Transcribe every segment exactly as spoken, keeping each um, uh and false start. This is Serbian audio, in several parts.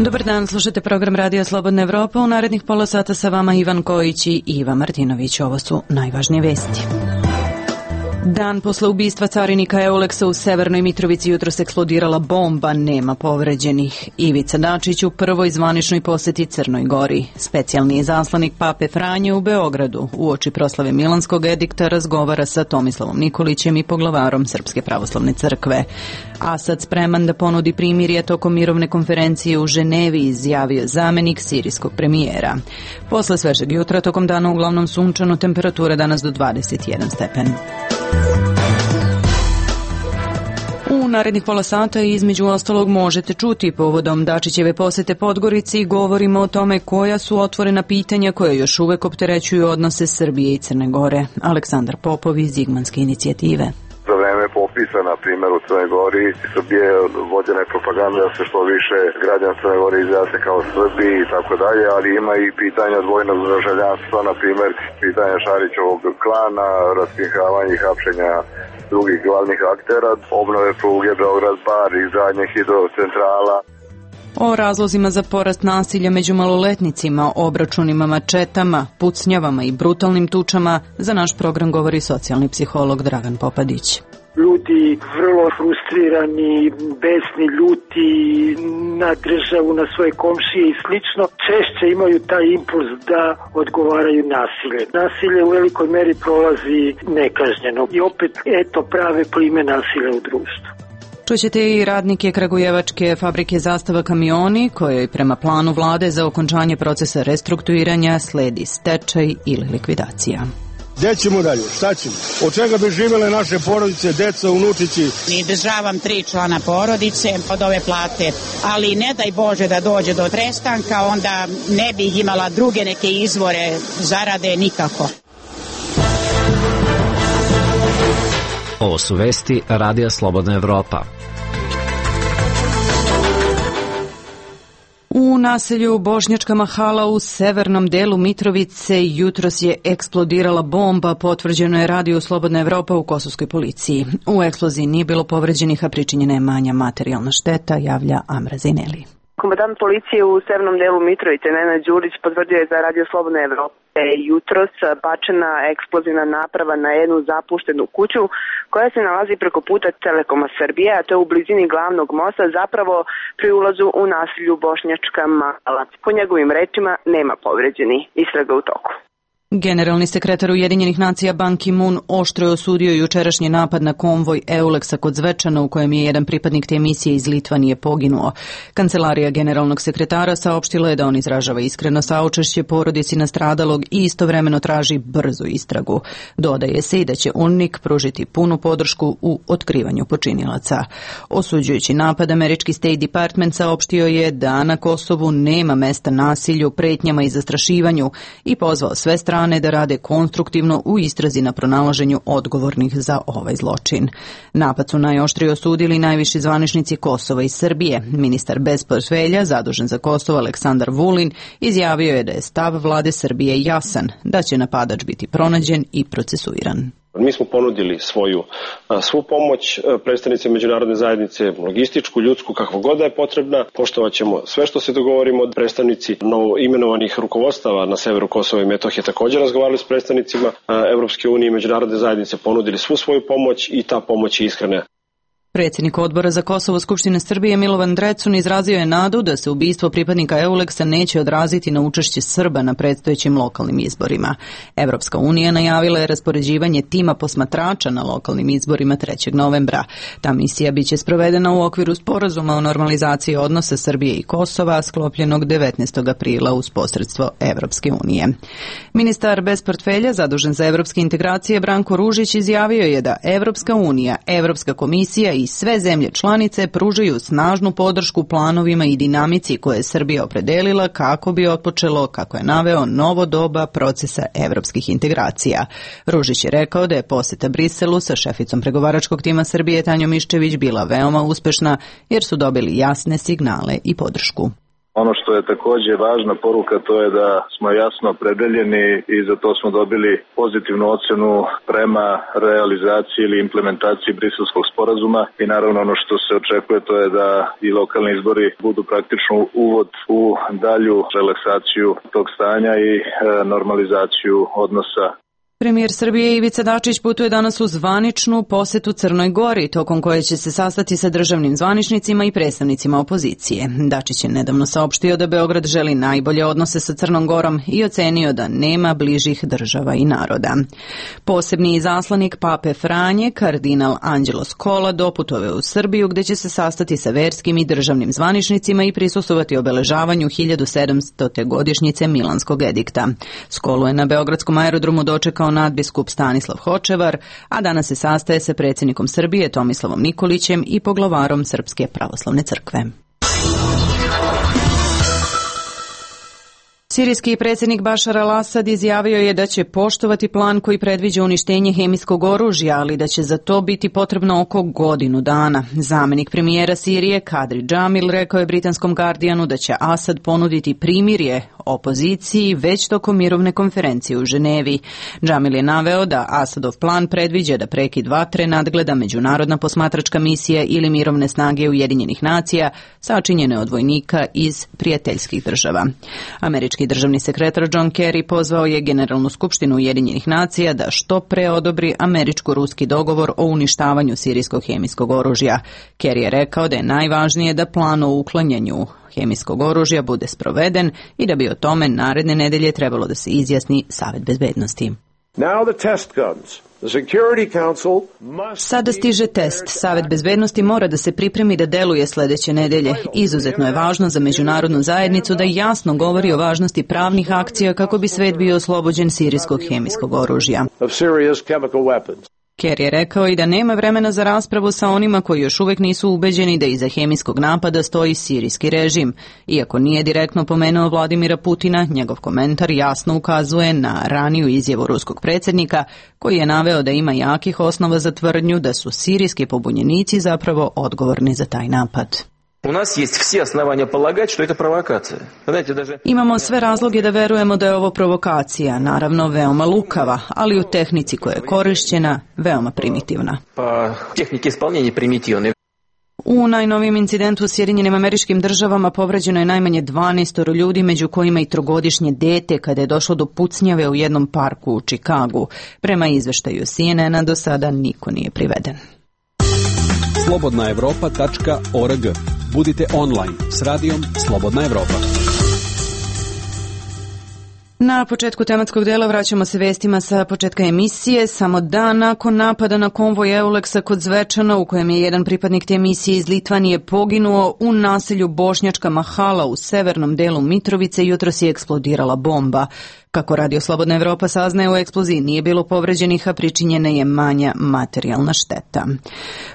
Dobar dan, slušate program Radija Slobodna Evropa. U narednih pola sata sa vama Ivan Kojić i Iva Martinović. Ovo su najvažnije vesti. Dan posle ubistva carinika Euleksa u Severnoj Mitrovici jutros eksplodirala bomba, nema povređenih. Ivica Dačić u prvoj zvaničnoj poseti Crnoj Gori. Specijalni izaslanik Pape Franje u Beogradu uoči proslave Milanskog edikta razgovara sa Tomislavom Nikolićem i poglavarom Srpske pravoslavne crkve. Asad spreman da ponudi primirje tokom mirovne konferencije u Ženevi, izjavio zamenik sirijskog premijera. Posle svežeg jutra tokom dana uglavnom sunčano, temperatura danas do dvadeset jedan stepen. U narednih pola sata između ostalog možete čuti povodom Dačićeve posete Podgorici, govorimo o tome koja su otvorena pitanja koja još uvek opterećuju odnose Srbije i Crne Gore. Aleksandar Popov iz Zigmanske inicijative. Za vreme popisa, na primjer, u Crnoj Gori, Srbije vođena je propaganda da se što više građana Crne Gore izjasne kao Srbi i tako dalje, ali ima i pitanja dvojnog državljanstva, na primjer, pitanja Šarićevog klana, raskrinkavanja i hapšenja drugih glavnih aktera, obnove pruge Beograd-Bar, izgradnje hidrocentrala. O razlozima za porast nasilja među maloletnicima, obračunima mačetama, pucnjavama i brutalnim tučama za naš program govori socijalni psiholog Dragan Popadić. Ljudi vrlo frustrirani, besni, ljuti na državu, na svoje komšije i slično, češće imaju taj impuls da odgovaraju nasilje. Nasilje u velikoj meri prolazi nekažnjeno i opet, eto, prave plime nasilja u društvu. Čućete i radnike kragujevačke fabrike Zastava kamioni, kojoj prema planu vlade za okončanje procesa restrukturiranja sledi stečaj ili likvidacija. Gde ćemo dalje? Šta ćemo? Od čega bi živele naše porodice, deca, unučići? Izdržavam tri člana porodice od ove plate, ali ne daj Bože da dođe do prestanka, onda ne bih imala druge neke izvore zarade nikako. Ovo su vesti Radija Slobodna Evropa. U naselju Bošnjačka Mahala u severnom delu Mitrovice jutros je eksplodirala bomba, potvrđeno je Radio Slobodna Evropa u kosovskoj policiji. U eksploziji nije bilo povređenih, a pričinjena je manja materijalna šteta, javlja Amra Zineli. Komandant policije u severnom delu Mitrovice, Nenad Đurić, potvrdio je za Radio Slobodna Evropa jutros bačena eksplozivna naprava na jednu zapuštenu kuću koja se nalazi preko puta Telekoma Srbije, a to je u blizini glavnog mosta, zapravo pri ulazu u naselju Bošnjačka Mahala. Po njegovim rečima nema povređeni, istraga u toku. Generalni sekretar Ujedinjenih nacija Ban Ki-moon oštro je osudio jučerašnji napad na konvoj Euleksa kod Zvečana u kojem je jedan pripadnik te misije iz Litvanije poginuo. Kancelarija generalnog sekretara saopštila je da on izražava iskreno saučešće porodici nastradalog i istovremeno traži brzu istragu. Dodaje se i da će UNMIK pružiti punu podršku u otkrivanju počinilaca. Osuđujući napad, američki State Department saopštio je da na Kosovu nema mesta nasilju, pretnjama i zastrašivanju i pozvao sve strane da rade konstruktivno u istrazi na pronalaženju odgovornih za ovaj zločin. Napad su najoštrije osudili najviši zvaničnici Kosova i Srbije. Ministar bez portfelja, zadužen za Kosovo Aleksandar Vulin, izjavio je da je stav vlade Srbije jasan, da će napadač biti pronađen i procesuiran. Mi smo ponudili svoju svu pomoć predstavnicima međunarodne zajednice, logističku, ljudsku, kakva god da je potrebna. Poštovat ćemo sve što se dogovorimo. Od predstavnici novo imenovanih rukovodstava na severu Kosova i Metohije također razgovarali s predstavnicima Evropske unije i međunarodne zajednice, ponudili svu svoju pomoć i ta pomoć je iskrena. Predsjednik odbora za Kosovo Skupštine Srbije Milovan Drecun izrazio je nadu da se ubistvo pripadnika Euleksa neće odraziti na učešće Srba na predstojećim lokalnim izborima. Evropska unija najavila je raspoređivanje tima posmatrača na lokalnim izborima trećeg novembra. Ta misija biće sprovedena u okviru sporazuma o normalizaciji odnosa Srbije i Kosova sklopljenog devetnaestog aprila uz posredstvo Evropske unije. Ministar bez portfelja zadužen za evropske integracije Branko Ružić izjavio je da Evropska unija, Evropska komisija i i sve zemlje članice pružaju snažnu podršku planovima i dinamici koje je Srbija opredelila kako bi otpočelo, kako je naveo, novo doba procesa evropskih integracija. Ružić je rekao da je posjeta Briselu sa šeficom pregovaračkog tima Srbije Tanjom Miščević bila veoma uspešna jer su dobili jasne signale i podršku. Ono što je takođe važna poruka, to je da smo jasno opredeljeni i za to smo dobili pozitivnu ocenu prema realizaciji ili implementaciji Briselskog sporazuma i naravno ono što se očekuje, to je da i lokalni izbori budu praktično uvod u dalju relaksaciju tog stanja i e, normalizaciju odnosa. Premijer Srbije Ivica Dačić putuje danas u zvaničnu posetu Crnoj Gori, tokom koje će se sastati sa državnim zvaničnicima i predstavnicima opozicije. Dačić je nedavno saopštio da Beograd želi najbolje odnose sa Crnom Gorom i ocenio da nema bližih država i naroda. Posebni izaslanik Pape Franje, kardinal Anđelo Skola, doputovao u Srbiju gde će se sastati sa verskim i državnim zvaničnicima i prisustvovati obeležavanju hiljadu sedamstote godišnjice Milanskog edikta. Skolu je na beogradskom aerodromu dočekao nadbiskup Stanislav Hočevar, a danas se sastaje sa predsjednikom Srbije Tomislavom Nikolićem i poglavarom Srpske pravoslavne crkve. Sirijski predsjednik Bašar al-Asad izjavio je da će poštovati plan koji predviđa uništenje hemijskog oružja, ali da će za to biti potrebno oko godinu dana. Zamenik premijera Sirije Kadri Džamil rekao je britanskom Guardianu da će Asad ponuditi primirje opoziciji već tokom mirovne konferencije u Ženevi. Džamil je naveo da Asadov plan predviđa da prekid vatre nadgleda međunarodna posmatračka misija ili mirovne snage Ujedinjenih nacija sačinjene od vojnika iz prijateljskih država. Američki državni sekretar John Kerry pozvao je Generalnu skupštinu Ujedinjenih nacija da što pre odobri američko-ruski dogovor o uništavanju sirijskog hemijskog oružja. Kerry je rekao da je najvažnije da plan o uklanjanju hemijskog oružja bude sproveden i da bi o tome naredne nedelje trebalo da se izjasni Savet bezbednosti. Sada stiže test. Savet bezbednosti mora da se pripremi da deluje sledeće nedelje. Izuzetno je važno za međunarodnu zajednicu da jasno govori o važnosti pravnih akcija kako bi svet bio oslobođen sirijskog hemijskog oružja. Kerry je rekao i da nema vremena za raspravu sa onima koji još uvek nisu ubeđeni da iza hemijskog napada stoji sirijski režim. Iako nije direktno pomenuo Vladimira Putina, njegov komentar jasno ukazuje na raniju izjavu ruskog predsjednika koji je naveo da ima jakih osnova za tvrdnju da su sirijski pobunjenici zapravo odgovorni za taj napad. Imamo sve razloge da verujemo da je ovo provokacija, naravno veoma lukava, ali u tehnici koja je korišćena veoma primitivna. U najnovijem incidentu u Sjedinjenim Američkim Državama povređeno je najmanje dvanaest ljudi, među kojima i trogodišnje dete, kada je došlo do pucnjave u jednom parku u Čikagu. Prema izveštaju C N N-a do sada niko nije priveden. slobodna evropa tačka org. Budite online s radijom Slobodna Evropa. Na početku tematskog dela vraćamo se vestima sa početka emisije. Samo dan nakon napada na konvoj Euleksa kod Zvečana, u kojem je jedan pripadnik te misije iz Litvanije poginuo, u naselju Bošnjačka Mahala u severnom delu Mitrovice jutros je eksplodirala bomba. Kako Radio Slobodna Evropa saznaje, u eksploziji nije bilo povređenih, a pričinjena je manja materijalna šteta.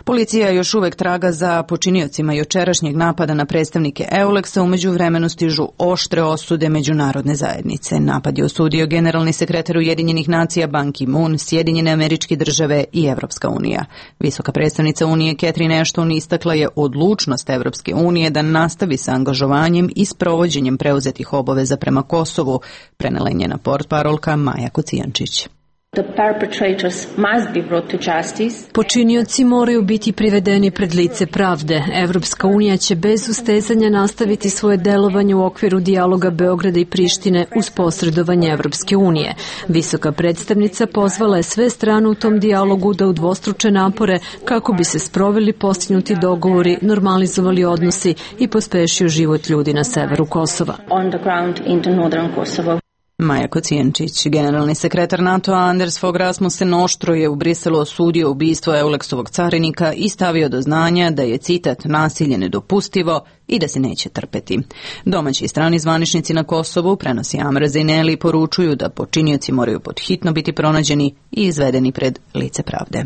Policija još uvek traga za počiniocima jučerašnjeg napada na predstavnike Euleksa, umeđu vremenu stižu oštre osude međunarodne zajednice. Napad je osudio generalni sekretar Ujedinjenih nacija Ban Ki-moon, Sjedinjene Američke Države i Evropska unija. Visoka predstavnica Unije Catherine Ashton istakla je odlučnost Evropske unije da nastavi sa angažovanjem i sprovođenjem preuzetih obaveza prema Kosovu, prenela je na portparolka Maja Kocijančić. Počinioci moraju biti privedeni pred lice pravde. Evropska unija će bez ustezanja nastaviti svoje delovanje u okviru dijaloga Beograda i Prištine uz posredovanje Evropske unije. Visoka predstavnica pozvala je sve strane u tom dijalogu da udvostruče napore kako bi se sproveli postignuti dogovori, normalizovali odnosi i pospešio život ljudi na severu Kosova. Maja Kocijančić. Generalni sekretar NATO-a Anders Fogh Rasmussen oštro je u Briselu osudio ubistvo Euleksovog carinika i stavio do znanja da je, citat, nasilje nedopustivo i da se neće trpeti. Domaći i strani zvaničnici na Kosovu, prenosi Amra Zineli, poručuju da počinioci moraju podhitno biti pronađeni i izvedeni pred lice pravde.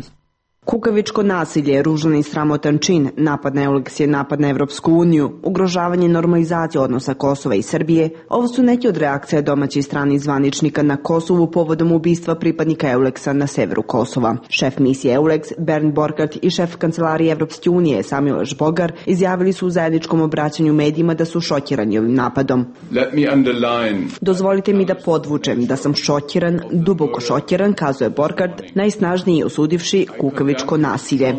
Kukavičko nasilje je ružan i sramotan čin, napad na Euleks je napad na Evropsku uniju, ugrožavanje normalizacije odnosa Kosova i Srbije. Ovo su neki od reakcija domaćih i stranih zvaničnika na Kosovu povodom ubistva pripadnika Euleksa na severu Kosova. Šef misije Euleks, Bernd Borkart, i šef kancelarije Evropske unije, Samuel Žbogar, izjavili su u zajedničkom obraćanju medijima da su šokirani ovim napadom. Dozvolite mi da podvučem da sam šokiran, duboko šokiran, kazuje Borkart, najsnažniji osudivši kukavičko nasilje.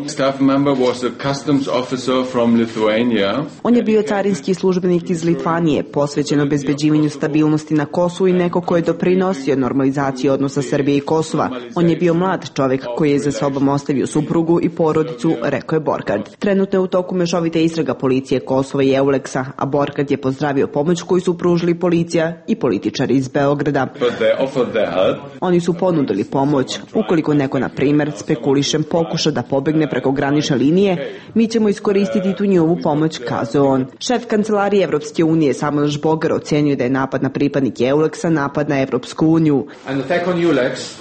On je bio carinski službenik iz Litvanije, posvećen obezbeđivanju stabilnosti na Kosovu i neko ko je doprinosio normalizaciji odnosa Srbije i Kosova. On je bio mlad čovjek koji je za sobom ostavio suprugu i porodicu, rekao je Borkart. Trenutno je u toku mešovita istraga policije Kosova i Euleksa, a Borkart je pozdravio pomoć koju su pružili policija i političari iz Beograda. Oni su ponudili pomoć. Ukoliko neko, na primjer, spekulišem pokuša da pobegne preko granične linije, mi ćemo iskoristiti tu njihovu pomoć, kazuje on. Šef kancelarije Evropske unije Samuel Žbogar ocenio da je napad na pripadnike Euleksa napad na Evropsku uniju.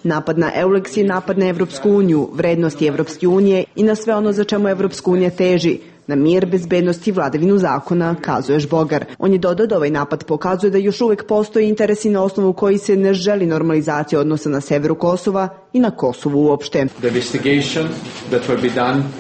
Napad na Euleks je napad na Evropsku uniju, vrednosti Evropske unije i na sve ono za čemu Evropska unija teži, na mir, bezbednost i vladavinu zakona, kazuje Žbogar. On je dodao da ovaj napad pokazuje da još uvek postoji interesi na osnovu koji se ne želi normalizacija odnosa na severu Kosova i na Kosovu uopšte.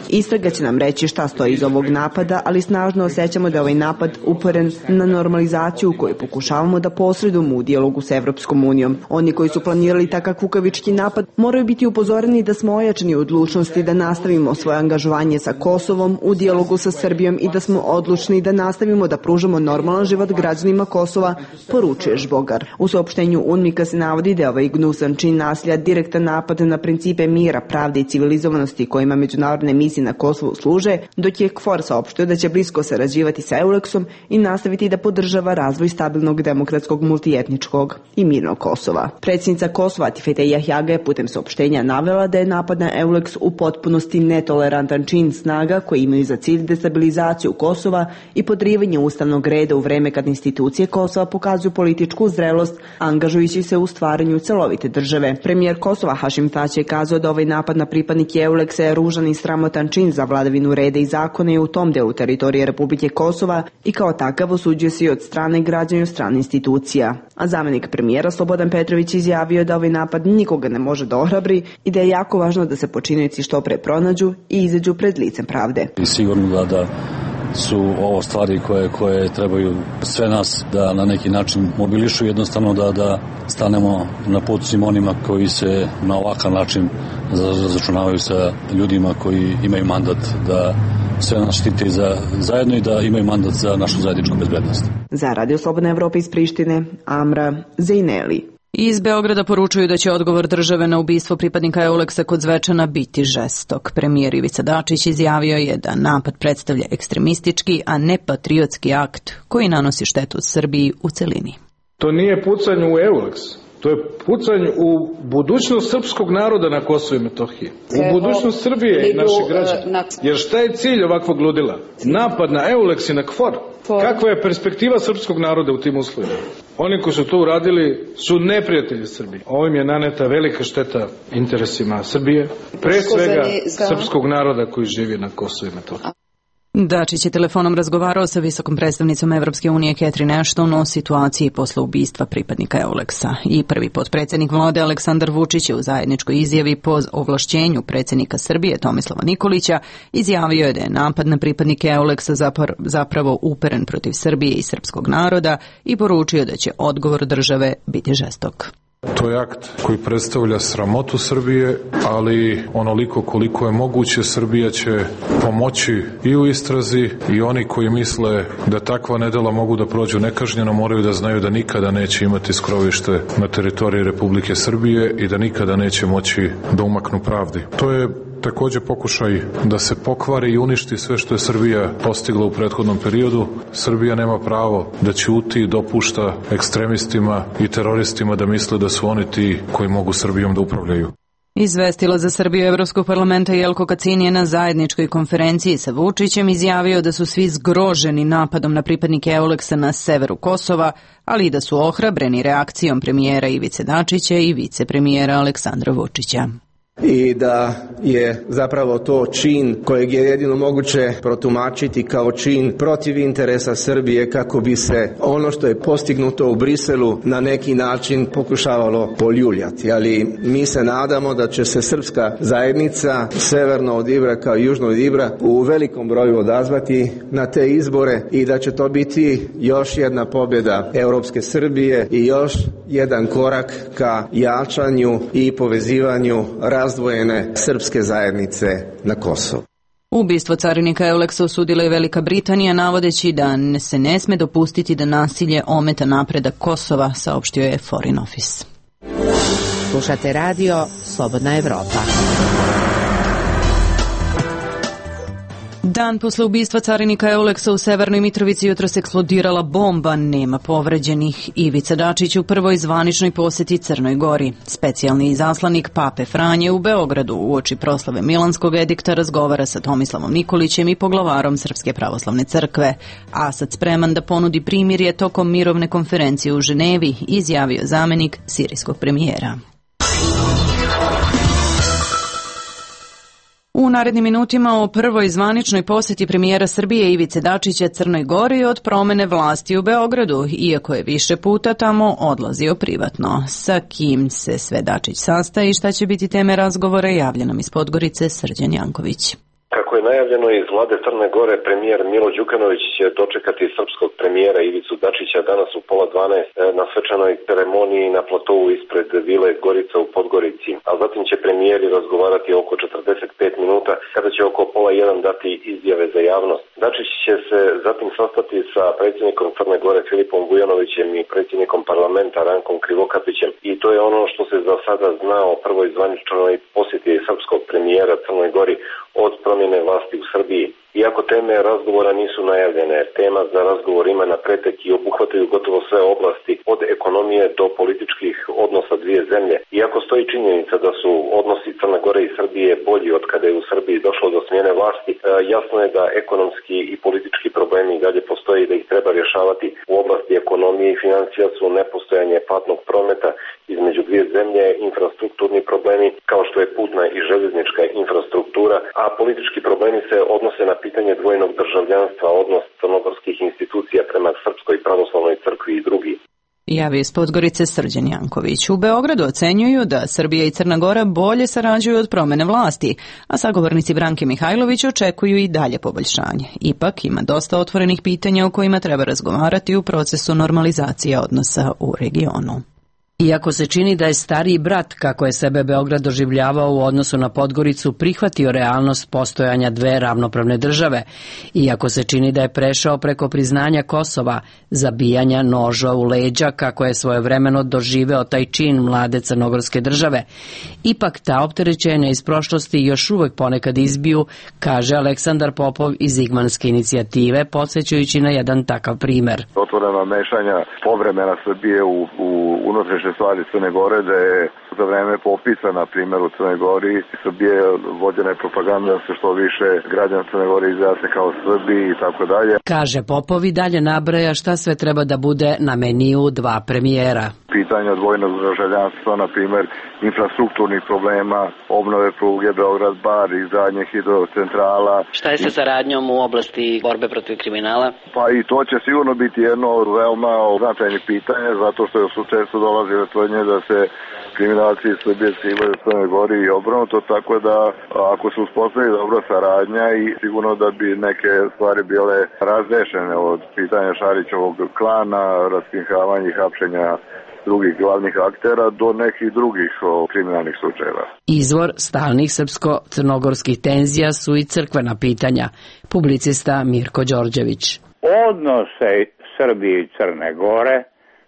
Istraga će nam reći šta stoji iz ovog napada, ali snažno osjećamo da je ovaj napad uperen na normalizaciju koju pokušavamo da posredujemo u dijalogu s Evropskom unijom. Oni koji su planirali takav kukavički napad moraju biti upozoreni da smo ojačani u odlučnosti da nastavimo svoje angažovanje sa Kosovom u dijalogu sa Srbijom i da smo odlučni da nastavimo da pružamo normalan život građanima Kosova, poručuje Žbogar. U saopštenju UNMIK-a se navodi da je ovaj gnusan čin nasilja direktan napad na principe mira, pravde i civilizovanosti kojima međunarodne misije na Kosovu služe, dok je KFOR saopštio da će blisko sarađivati sa Euleksom i nastaviti da podržava razvoj stabilnog, demokratskog, multietničkog i mirnog Kosova. Predsjednica Kosova Atifete Jahjaga je putem saopštenja navela da je napad na Euleks u potpunosti netolerantan čin snaga koji imaju za cilj destabilizaciju Kosova i podrivanje ustavnog reda u vreme kad institucije Kosova pokazuju političku zrelost, angažujući se u stvaranju celovite države. Premijer Kosova Hašim Tači je kazao da ovaj napad na pripadnike Euleksa je ružan i sramotan čin za vladavinu reda i zakona i u tom delu teritorije Republike Kosova i kao takav osuđuje se i od strane građana i od strane institucija. A zamjenik premijera Slobodan Petrović izjavio da ovaj napad nikoga ne može da ohrabri i da je jako važno da se počinioci što pre pronađu i izađu pred licem pravde. I sigurno da, da su ovo stvari koje, koje trebaju sve nas da na neki način mobilišu, jednostavno da, da stanemo na put svim onima koji se na ovakav način razračunavaju sa ljudima koji imaju mandat da sve nas štite za, zajedno i da imaju mandat za našu zajedničku bezbednost. Za Radio Slobodna Evropa iz Prištine, Amra Zejneli. Iz Beograda poručuju da će odgovor države na ubistvo pripadnika Euleksa kod Zvečana biti žestok. Premijer Ivica Dačić izjavio je da napad predstavlja ekstremistički, a ne patriotski akt koji nanosi štetu Srbiji u celini. To nije pucanje u Euleks. To je pucanje u budućnost srpskog naroda na Kosovu i Metohiji. U budućnost Srbije i naših građana. Jer šta je cilj ovakvog ludila? Napad na Euleks i na KFOR. Kakva je perspektiva srpskog naroda u tim uslovima? Oni koji su to uradili su neprijatelji Srbije. Ovim je naneta velika šteta interesima Srbije, pre svega srpskog naroda koji živi na Kosovu i Metohiji. Dačić je telefonom razgovarao sa visokom predstavnicom Evropske unije Catherine Ashton o situaciji posle ubistva pripadnika Euleksa. I prvi potpredsjednik vlade Aleksandar Vučić je u zajedničkoj izjavi po ovlašćenju predsjednika Srbije Tomislava Nikolića izjavio je da je napad na pripadnike Euleksa zapravo uperen protiv Srbije i srpskog naroda i poručio da će odgovor države biti žestok. To je akt koji predstavlja sramotu Srbije, ali onoliko koliko je moguće Srbija će pomoći i u istrazi i oni koji misle da takva nedela mogu da prođu nekažnjeno moraju da znaju da nikada neće imati skrovište na teritoriji Republike Srbije i da nikada neće moći da umaknu pravdi. To je takođe pokušaj da se pokvari i uništi sve što je Srbija postigla u prethodnom periodu. Srbija nema pravo da ćuti i dopušta ekstremistima i teroristima da misle da su oni ti koji mogu Srbijom da upravljaju. Izvestila za Srbiju Evropskog parlamenta Jelko Kacin je na zajedničkoj konferenciji sa Vučićem izjavio da su svi zgroženi napadom na pripadnike Euleksa na severu Kosova, ali i da su ohrabreni reakcijom premijera Ivice Dačića i vicepremijera Aleksandra Vučića. i da je zapravo to čin kojeg je jedino moguće protumačiti kao čin protiv interesa Srbije kako bi se ono što je postignuto u Briselu na neki način pokušavalo poljuljati. Ali mi se nadamo da će se srpska zajednica severno od Ibra kao južno od Ibra u velikom broju odazvati na te izbore i da će to biti još jedna pobjeda Europske Srbije i još jedan korak ka jačanju i povezivanju razdvojene srpske zajednice na Kosovu. Ubistvo carinika Euleksa osudila je Velika Britanija, navodeći da se ne sme dopustiti da nasilje ometa napredak Kosova, saopštio je Foreign Office. Slušate radio Slobodna Evropa. Dan posle ubistva carinika Euleksa u Severnoj Mitrovici jutros eksplodirala bomba, nema povređenih. Ivica Dačić u prvoj zvaničnoj poseti Crnoj Gori. Specijalni izaslanik Pape Franje u Beogradu uoči proslave Milanskog edikta razgovara sa Tomislavom Nikolićem i poglavarom Srpske pravoslavne crkve. Asad spreman da ponudi primirje tokom mirovne konferencije u Ženevi, izjavio zamenik sirijskog premijera. U narednim minutima o prvoj zvaničnoj posjeti premijera Srbije Ivice Dačića Crnoj Gori od promene vlasti u Beogradu, iako je više puta tamo odlazio privatno. Sa kim se sve Dačić sastaje i šta će biti teme razgovora, javlja nam iz Podgorice Srđan Janković. Kako je najavljeno iz vlade Crne Gore, premijer Milo Đukanović će dočekati srpskog premijera Ivicu Dačića danas u pola dvanaest na svečanoj ceremoniji na platovu ispred vile Gorica u Podgorici, a zatim će premijeri razgovarati oko četrdeset pet minuta, kada će oko pola jedan dati izjave za javnost. Dačić će se zatim sastati sa predsjednikom Crne Gore Filipom Vujanovićem i predsjednikom parlamenta Rankom Krivokapićem, i to je ono što se za sada zna o prvoj zvaničnoj posjeti srpskog premijera Crnoj Gori od promjene vlasti u Srbiji. Iako teme razgovora nisu najavljene, tema za razgovor ima napretek i obuhvataju gotovo sve oblasti, od ekonomije do političkih odnosa dvije zemlje. Iako stoji činjenica da su odnosi Crne Gore i Srbije bolji od kada je u Srbiji došlo do smjene vlasti, jasno je da ekonomski i politički problemi dalje postoje i da ih treba rješavati. U oblasti ekonomije i financija su nepostojanje platnog prometa između dvije zemlje, infrastrukturni problemi kao što je putna i željeznička infrastruktura, a politički problemi se odnose na pitanje dvojnog državljanstva, odnos crnogorskih institucija prema Srpskoj pravoslavnoj crkvi i drugi. Javio iz Podgorice Srđan Janković. U Beogradu ocenjuju da Srbija i Crna Gora bolje sarađuju od promene vlasti, a sagovornici Branke Mihajlović očekuju i dalje poboljšanje. Ipak ima dosta otvorenih pitanja o kojima treba razgovarati u procesu normalizacije odnosa u regionu. Iako se čini da je stariji brat, kako je sebe Beograd doživljavao u odnosu na Podgoricu, prihvatio realnost postojanja dve ravnopravne države, iako se čini da je prešao preko priznanja Kosova, zabijanja noža u leđa, kako je svojevremeno doživeo taj čin mlade crnogorske države, ipak ta opterećenja iz prošlosti još uvek ponekad izbiju, kaže Aleksandar Popov iz Igmanske inicijative, podsjećajući na jedan takav primer. Otvorena mešanja povremena Srbije u, u unutrašnje stvari Crne Gore, da je za vreme popisa, na primjer u Crnoj Gori, Srbije vođena je propaganda da se što više građana Crne Gore izjasne kao Srbi i tako dalje. Kaže Popov i dalje nabraja šta sve treba da bude na meniju dva premijera. Pitanje odvojnog državljanstva, na primjer infrastrukturnih problema, obnove pruge Beograd-Bar, izgradnje hidrocentrala. Šta je sa saradnjom u oblasti borbe protiv kriminala? Pa i to će sigurno biti jedno od veoma značajnih pitanja, zato što su često dolazile tvrdnje da se kriminalci iz Srbije skrivaju u Crnoj Gori i obrnuto, tako da ako se uspostavi dobra saradnja i sigurno da bi neke stvari bile razrešene od pitanja Šarićevog klana, raskrinkavanja i hapšenja drugih glavnih aktera do nekih drugih o, kriminalnih slučajeva. Izvor stalnih srpsko-crnogorskih tenzija su i crkvena pitanja, publicista Mirko Đorđević. Odnose Srbije i Crne Gore,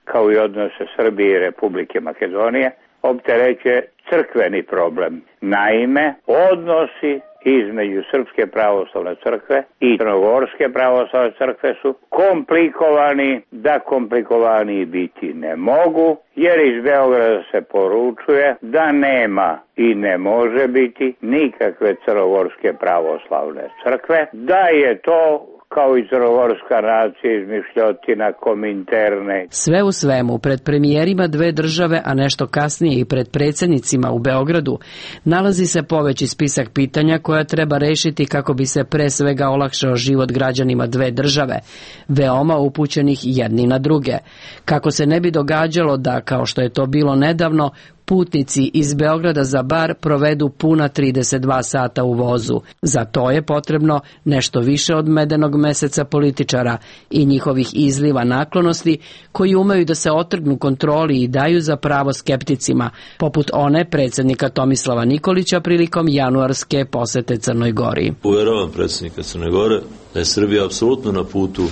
kao i odnose Srbije i Republike Makedonije, opterećuje crkveni problem. Naime, odnosi između Srpske pravoslavne crkve i Crnogorske pravoslavne crkve su komplikovani, da komplikovani biti ne mogu, jer iz Beograda se poručuje da nema i ne može biti nikakve Crnogorske pravoslavne crkve, da je to kao i crnogorska nacija izmišljotina Kominterne. Sve u svemu, pred premijerima dve države, a nešto kasnije i pred predsjednicima u Beogradu, nalazi se poveći spisak pitanja koja treba rešiti kako bi se pre svega olakšao život građanima dve države, veoma upućenih jedni na druge. Kako se ne bi događalo da, kao što je to bilo nedavno, putnici iz Beograda za Bar provedu puna trideset dva sata u vozu. Za to je potrebno nešto više od medenog meseca političara i njihovih izliva naklonosti koji umeju da se otrgnu kontroli i daju za pravo skepticima, poput one predsjednika Tomislava Nikolića prilikom januarske posete Crnoj Gori. Uveravam predsjednika Crne Gore da je Srbija apsolutno na putu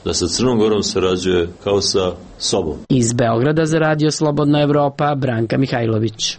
da sa Crnom Gorom sarađuje kao sa sobom. Iz Beograda za Radio Slobodna Evropa, Branka Mihajlović.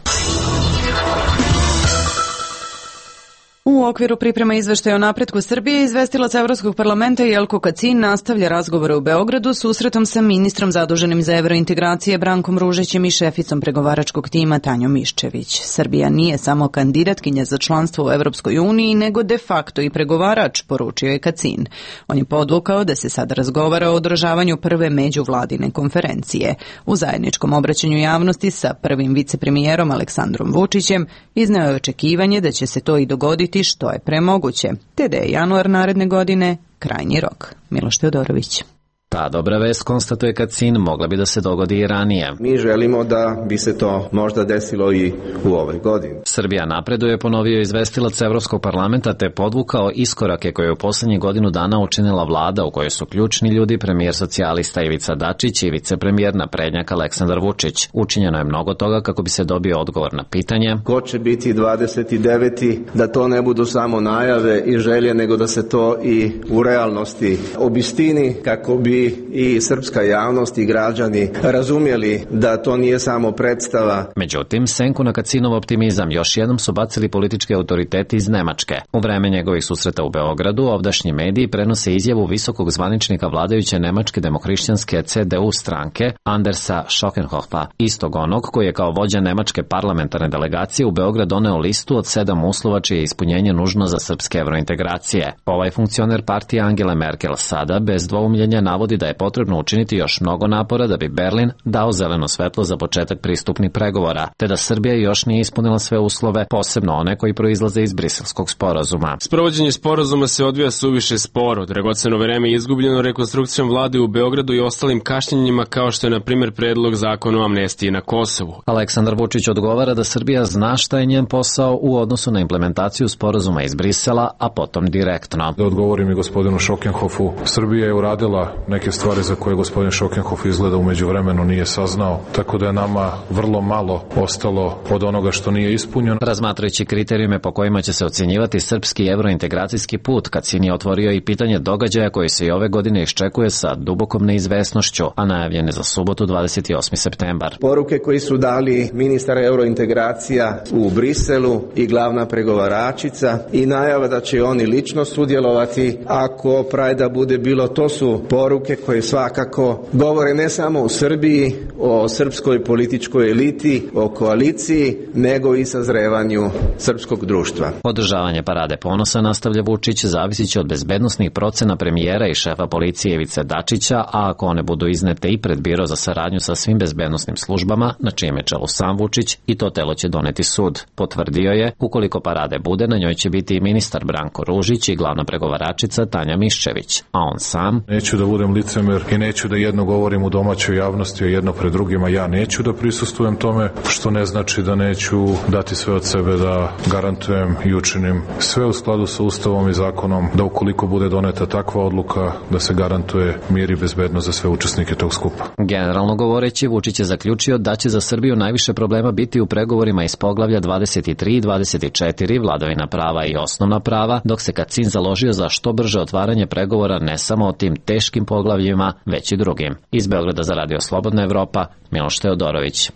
U okviru priprema izveštaja o napretku Srbije, izvestilac Evropskog parlamenta Jelko Kacin nastavlja razgovore u Beogradu susretom sa ministrom zaduženim za evrointegracije Brankom Ružićem i šeficom pregovaračkog tima Tanjom Miščević. Srbija nije samo kandidatkinja za članstvo u Evropskoj uniji, nego de facto i pregovarač, poručio je Kacin. On je podvukao da se sada razgovara o održavanju prve međuvladine konferencije. U zajedničkom obraćanju javnosti sa prvim vicepremijerom Aleksandrom Vučićem izneo je očekivanje da će se to i dogoditi što je premoguće, te da je januar naredne godine krajnji rok. Miloš Teodorović. Ta dobra vest, konstatuje Kacin, mogla bi da se dogodi i ranije. Mi želimo da bi se to možda desilo i u ovoj godini. Srbija napreduje, ponovio izvestilac Evropskog parlamenta, te podvukao iskorake koje je u poslednjih godinu dana učinila vlada u kojoj su ključni ljudi premijer socijalista Ivica Dačić i vicepremijer naprednjak Aleksandar Vučić. Učinjeno je mnogo toga kako bi se dobio odgovor na pitanje ko će biti dvadeset deveti da to ne budu samo najave i želje, nego da se to i u realnosti obistini kako bi i srpska javnost i građani razumjeli da to nije samo predstava. Međutim, senku na Kacinov optimizam još jednom su bacili politički autoriteti iz Nemačke. U vreme njegovih susreta u Beogradu, ovdašnji mediji prenose izjavu visokog zvaničnika vladajuće nemačke demohrišćanske C D U stranke Andersa Schockenhofa, istog onog koji je kao vođa nemačke parlamentarne delegacije u Beograd doneo listu od sedam uslova čije je ispunjenje nužno za srpske evrointegracije. Ovaj funkcioner partije Angele Merkel sada bez dvoumljenja navodi da je potrebno učiniti još mnogo napora da bi Berlin dao zeleno svetlo za početak pristupnih pregovora, te da Srbija još nije ispunila sve uslove, posebno one koji proizlaze iz Briselskog sporazuma. Sprovođenje sporazuma se odvija suviše sporo. Dragoceno vreme je izgubljeno rekonstrukcijom vlade u Beogradu i ostalim kašnjenjima kao što je na primjer predlog zakona o amnestiji na Kosovu. Aleksandar Vučić odgovara da Srbija zna šta je njen posao u odnosu na implementaciju sporazuma iz Brisela, a potom direktno. Da odgovorim i gospodinu Schockenhofu, Srbija je uradila neke stvari za koje gospodin Schockenhof izgleda u međuvremenu nije saznao, tako da je nama vrlo malo ostalo od onoga što nije ispunjeno. Razmatrajući kriterijume po kojima će se ocjenjivati srpski evrointegracijski put, Kacin je otvorio i pitanje događaja koji se i ove godine iščekuje sa dubokom neizvesnošću, a najavljene za subotu dvadeset osmi septembar. Poruke koji su dali ministar evrointegracija u Briselu i glavna pregovaračica i najava da će oni lično sudjelovati ako Prajda bude bilo, to su poruke koje svakako govore ne samo o Srbiji, o srpskoj političkoj eliti, o koaliciji, nego i sazrevanju srpskog društva. Održavanje parade ponosa, nastavlja Vučić, zavisit će od bezbednosnih procena premijera i šefa policije Ivice Dačića, a ako one budu iznete i pred biro za saradnju sa svim bezbednosnim službama, na čijem je čelu sam Vučić, i to telo će doneti sud. Potvrdio je, ukoliko parade bude, na njoj će biti i ministar Branko Ružić i glavna pregovaračica Tanja Miščević, a on sam... Neću da budem licemer i neću da jedno govorim u domaćoj javnosti, a jedno pred drugima ja neću da prisustvujem tome, što ne znači da neću dati sve od sebe da garantujem i učinim sve u skladu sa Ustavom i zakonom, da ukoliko bude doneta takva odluka, da se garantuje mir i bezbednost za sve učesnike tog skupa. Generalno govoreći, Vučić je zaključio da će za Srbiju najviše problema biti u pregovorima iz poglavlja dvadeset tri i dvadeset četiri, vladavina prava i osnovna prava, dok se Kacin založio za što brže otvaranje pregovora ne samo o tim teškim poglavljima, već i drugim. Iz Beograda za Radio Slobodna Evropa, Miloš Teodorović.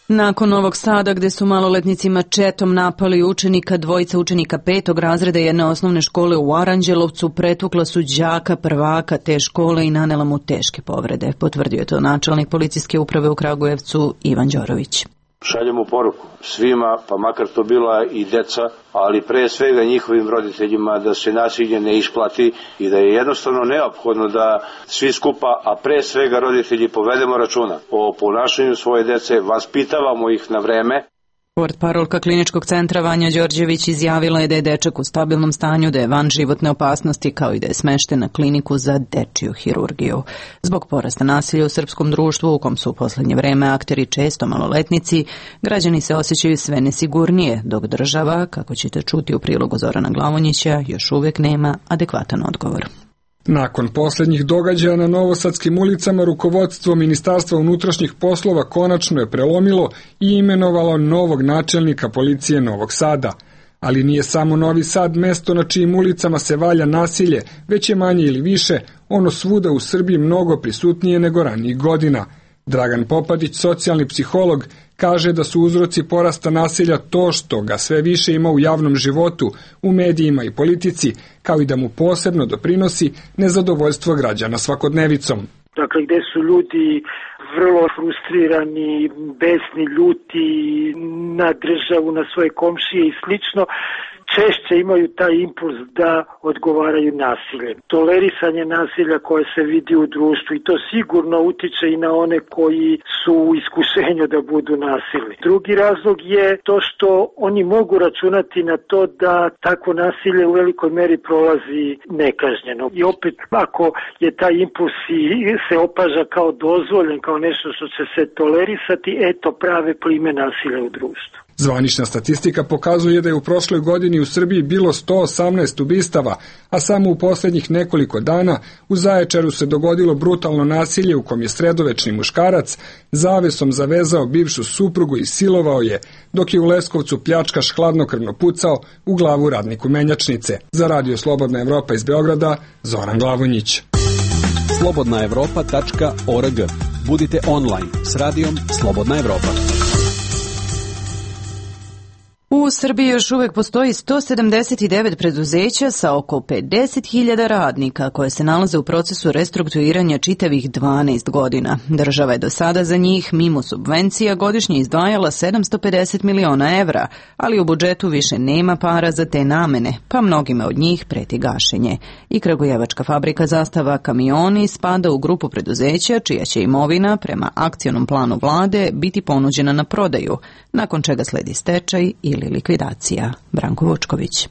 Nakon Novog Sada, gde su maloletnici mačetom napali učenika, dvojica učenika petog razreda jedne osnovne škole u Aranđelovcu pretukla su đaka prvaka te škole i nanela mu teške povrede. Potvrdio je to načelnik policijske uprave u Kragujevcu Ivan Đorović. šaljemo poruku svima, pa makar to bila i deca, ali pre svega njihovim roditeljima, da se nasilje ne isplati i da je jednostavno neophodno da svi skupa, a pre svega roditelji, povedemo računa o ponašanju svoje dece, vaspitavamo ih na vreme. Portparolka Kliničkog centra Vanja Đorđević izjavila je da je dečak u stabilnom stanju, da je van životne opasnosti, kao i da je smešten na kliniku za dečiju hirurgiju. Zbog porasta nasilja u srpskom društvu, u kom su u poslednje vreme akteri često maloletnici, građani se osjećaju sve nesigurnije, dok država, kako ćete čuti u prilogu Zorana Glavonjića, još uvek nema adekvatan odgovor. Nakon posljednjih događaja na novosadskim ulicama, rukovodstvo Ministarstva unutrašnjih poslova konačno je prelomilo i imenovalo novog načelnika policije Novog Sada. Ali nije samo Novi Sad mesto na čijim ulicama se valja nasilje, već je manje ili više ono svuda u Srbiji mnogo prisutnije nego ranijih godina. Dragan Popadić, socijalni psiholog, kaže da su uzroci porasta nasilja to što ga sve više ima u javnom životu, u medijima i politici, kao i da mu posebno doprinosi nezadovoljstvo građana svakodnevicom. Dakle, gde su ljudi vrlo frustrirani, besni, ljuti na državu, na svoje komšije i slično, češće imaju taj impuls da odgovaraju nasiljem. Tolerisanje nasilja koje se vidi u društvu i to sigurno utiče i na one koji su u iskušenju da budu nasilni. Drugi razlog je to što oni mogu računati na to da takvo nasilje u velikoj meri prolazi nekažnjeno. I opet, ako je taj impuls se opaža kao dozvoljen, kao nešto što će se tolerisati, eto prave plime nasilja u društvu. Zvanična statistika pokazuje da je u prošloj godini u Srbiji bilo sto osamnaest ubistava, a samo u posljednjih nekoliko dana u Zaječaru se dogodilo brutalno nasilje u kom je sredovečni muškarac zavesom zavezao bivšu suprugu i silovao je, dok je u Leskovcu pljačkaš hladnokrvno pucao u glavu radniku menjačnice. Za Radio Slobodna Evropa iz Beograda, Zoran Glavonjić. slobodna evropa tačka org. Budite online s radijom Slobodna Evropa. U Srbiji još uvek postoji sto sedamdeset devet preduzeća sa oko pedeset hiljada radnika koje se nalaze u procesu restrukturiranja čitavih dvanaest godina. Država je do sada za njih, mimo subvencija, godišnje izdvajala sedamsto pedeset miliona evra, ali u budžetu više nema para za te namene, pa mnogima od njih preti gašenje. I kragujevačka fabrika Zastava kamioni spada u grupu preduzeća čija će imovina, prema akcionom planu vlade, biti ponuđena na prodaju, nakon čega sledi stečaj ili likvidacija. Branko Vučković.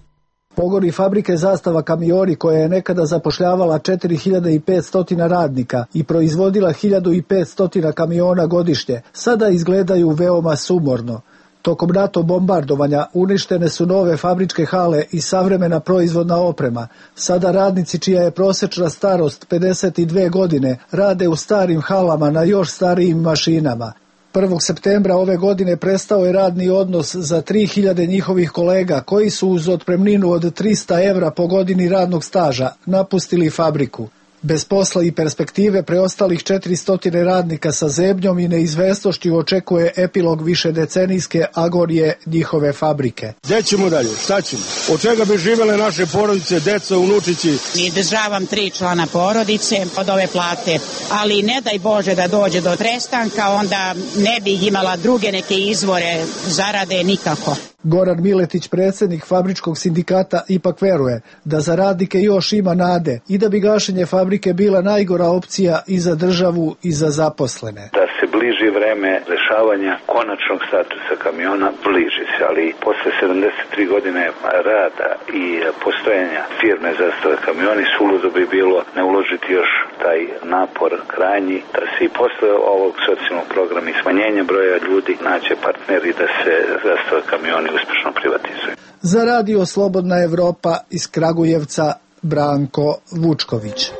Pogoni fabrike Zastava kamioni, koja je nekada zapošljavala četiri hiljade petsto radnika i proizvodila hiljadu petsto kamiona godišnje, sada izgledaju veoma sumorno. Tokom NATO bombardovanja uništene su nove fabričke hale i savremena proizvodna oprema. Sada radnici, čija je prosečna starost pedeset dve godine, rade u starim halama na još starijim mašinama. prvog septembra ove godine prestao je radni odnos za tri hiljade njihovih kolega koji su uz otpremninu od trista evra po godini radnog staža napustili fabriku. Bez posla i perspektive preostalih četiristo radnika sa zebnjom i neizvesnošću očekuje epilog višedecenijske agonije njihove fabrike. Gde ćemo dalje? Šta ćemo? Od čega bi živele naše porodice, deca, unučići? Izdržavam tri člana porodice od ove plate, ali ne daj Bože da dođe do trestanka, onda ne bih imala druge neke izvore zarade nikako. Goran Miletić, predsjednik fabričkog sindikata, ipak veruje da za radnike još ima nade i da bi gašenje fabrike bila najgora opcija i za državu i za zaposlene. Da se bliži vreme rešavanja konačnog statusa kamiona, bliži se, ali posle sedamdeset tri godine rada i postojanja firme Zastava kamioni, suludo bi bilo ne uložiti još taj napor krajnji, da se i posle ovog socijalnog programa i smanjenja broja ljudi naće partneri da se Zastava kamioni uspešno privatizuje. Za Radio Slobodna Evropa iz Kragujevca, Branko Vučković.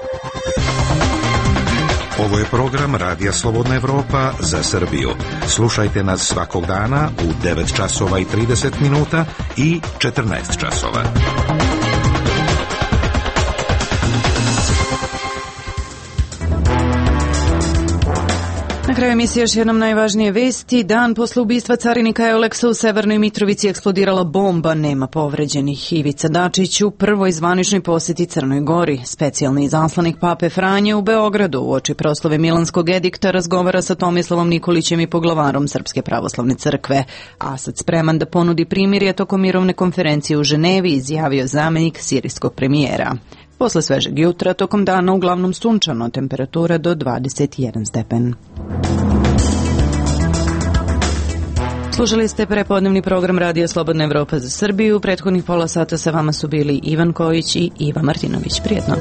Ovo je program Radija Slobodna Evropa za Srbiju. Slušajte nas svakog dana u devet časova i trideset minuta i četrnaest časova. Na kraju emisije još jednom najvažnije vesti. Dan posle ubistva carinika Euleksa u Severnoj Mitrovici eksplodirala bomba, nema povređenih. Ivica Dačić u prvoj zvaničnoj poseti Crnoj Gori. Specijalni izaslanik Pape Franje u Beogradu uoči proslave Milanskog edikta razgovara sa Tomislavom Nikolićem i poglavarom Srpske pravoslavne crkve. Asad spreman da ponudi primirje tokom mirovne konferencije u Ženevi, izjavio zamenik sirijskog premijera. Posle svežeg jutra, tokom dana uglavnom sunčano, temperatura do dvadeset jedan stepen. Slušali ste prepodnevni program Radija Slobodna Evropa za Srbiju. Prethodnih pola sata sa vama su bili Ivan Kojić i Iva Martinović. Prijetno.